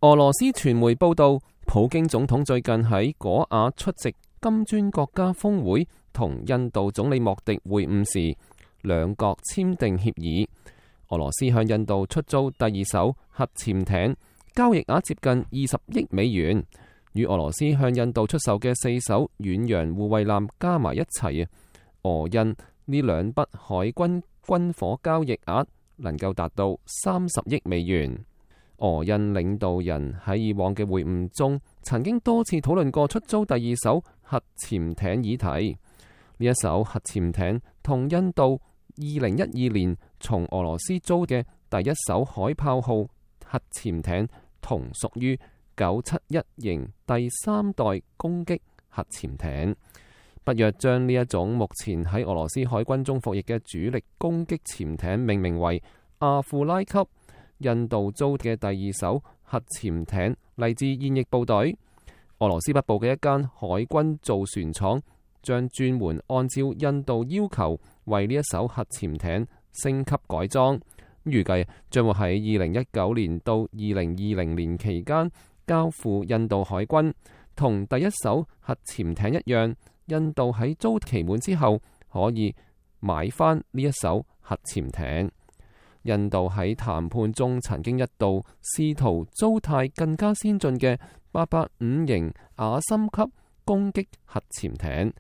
俄羅斯傳媒報道，普京總統最近喺果瓦出席金磚國家峰會，同印度總理莫迪會晤時，兩國簽訂協議。俄羅斯向印度出租第二艘核潛艇，交易額接近20億美元，與俄羅斯向印度出售嘅4艘遠洋護衛艦加埋一齊，俄印呢兩筆海軍軍火交易額能夠達到30億美元。俄印領導人喺以往嘅會晤中，曾經多次討論過出租第二艘核潛艇議題。呢一艘核潛艇同印度2012年從俄羅斯租嘅第一艘海豹號核潛艇同屬於971型第3代攻擊核潛艇。北約將呢一種目前喺俄羅斯海軍中服役嘅主力攻擊潛艇命名為阿庫拉級。印度租嘅第二艘核潛艇嚟自現役部隊。俄羅斯北部嘅一間海軍造船廠將專門按照印度要求為呢一艘核潛艇升級改裝，預計將會喺2019年到2020年期間交付印度海軍。同第一艘核潛艇一樣，印度喺租期滿之後可以買翻呢一艘核潛艇。印度喺談判中曾經一度試圖租貸更加先進嘅885型亞森級攻擊核潛艇，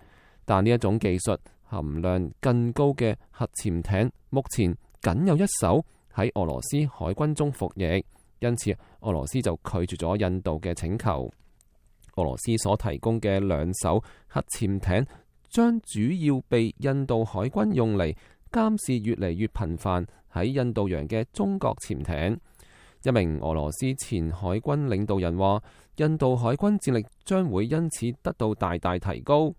但呢一種技術含量更高嘅核潛艇目前僅有一艘喺俄羅斯海軍中服役，因此俄羅斯就拒絕咗印度嘅請求。俄羅斯所提供嘅兩艘核潛艇將主要被印度海軍用嚟監視越嚟越頻繁喺印度洋嘅中國潛艇。一名俄羅斯前海軍領導人話，印度海軍戰力將會因此得到大大提高。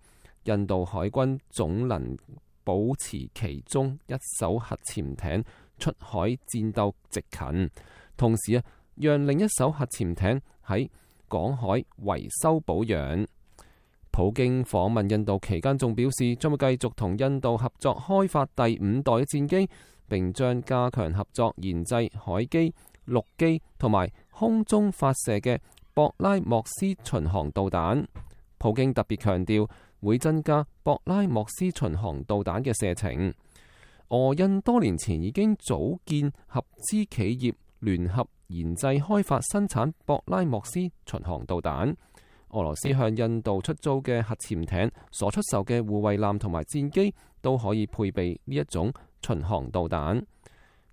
印度海軍總能保持其中一艘核潛艇出海戰鬥值勤，同時讓另一艘核潛艇喺港海維修保養。普京訪問印度期間仲表示，將會繼續同印度合作開發第5代嘅戰機，並將加強合作研製海基、陸基同埋空中發射嘅博拉莫斯巡航導彈。普京特別強調會增加博拉莫斯巡航導彈嘅射程。俄印多年前已經組建合資企業，聯合研製開發生產博拉莫斯巡航導彈。俄羅斯向印度出租嘅核潛艇所出售嘅護衛艦同埋戰機都可以配備呢一種巡航導彈。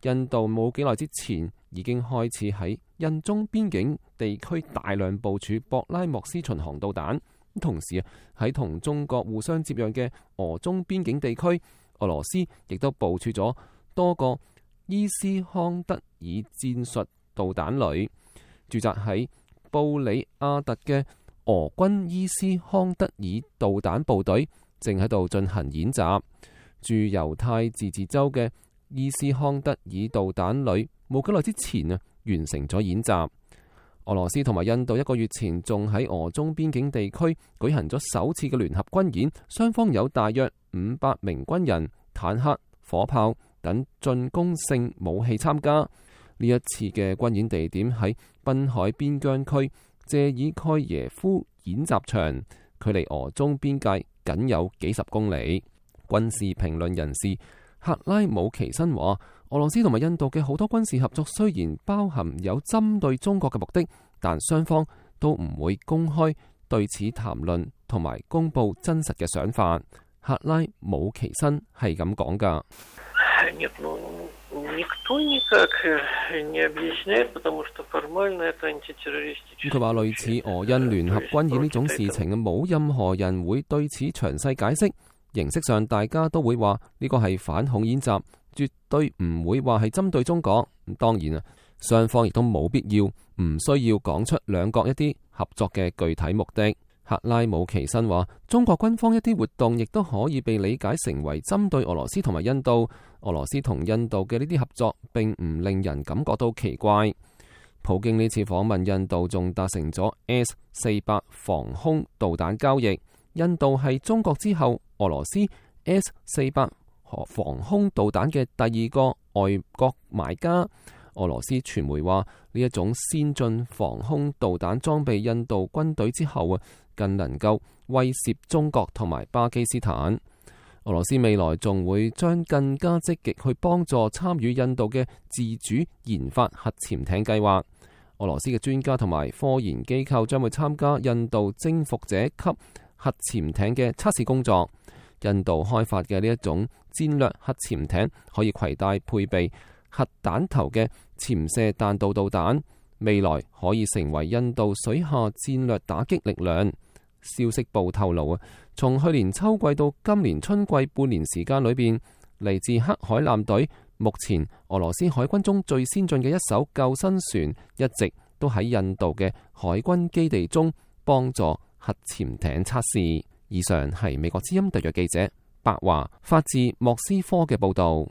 印度冇幾耐之前已經開始喺印中邊境地區大量部署博拉莫斯巡航導彈，同時喺同中國互相接壤嘅俄中邊境地區，俄羅斯亦都部署咗多個伊斯康德爾戰術導彈旅。駐紮喺布里亞特嘅俄軍伊斯康德爾導彈部隊正喺度進行演習。駐猶太自治州嘅伊斯康德爾導彈旅冇幾耐之前完成咗演習。俄羅斯同埋印度1個月前仲喺俄中邊境地區舉行咗首次嘅聯合軍演，雙方有大約500名軍人、坦克、火炮等進攻性武器參加。呢一次嘅軍演地點喺濱海邊疆區謝爾蓋耶夫演習場，距離俄中邊界僅有幾十公里。軍事評論人士克拉姆奇申話，俄羅斯同埋印度嘅好多軍事合作雖然包含有針對中國嘅目的，但雙方都唔會公開對此談論同埋公布真實嘅想法。克拉姆奇申係咁講㗎。佢話類似俄印聯合軍演呢種事情，冇任何人會對此詳細解釋。形式上大家都會話呢個係反恐演習，絕對唔會話係針對中國。當然雙方亦都冇必要唔需要講出兩國一啲合作嘅具體目的。克拉姆奇申話，中國軍方一啲活動亦都可以被理解成為針對俄羅斯同埋印度。俄羅斯同印度嘅呢啲合作並唔令人感覺到奇怪。普京呢次訪問印度仲達成咗 S-400 防空導彈交易。印度係中國之後俄羅斯 S-400 防空導彈嘅第2個外國買家。俄羅斯傳媒話，呢一種先進防空導彈裝備印度軍隊之後更能夠威懾中國同埋巴基斯坦。俄羅斯未來仲會將更加積極去幫助參與印度嘅自主研發核潛艇計劃。俄羅斯嘅專家同埋科研機構將會參加印度征服者級核潛艇嘅測試工作。印度開發嘅呢一種戰略核潛艇可以攜帶配備核彈頭嘅潛射彈道導彈，未來可以成為印度水下戰略打擊力量。消息報透露從去年秋季到今年春季半年時間裏邊，嚟自黑海艦隊，目前俄羅斯海軍中最先進嘅一艘救生船，一直都喺印度嘅海軍基地中幫助核潛艇測試。以上係美國之音特約記者白華發自莫斯科嘅報道。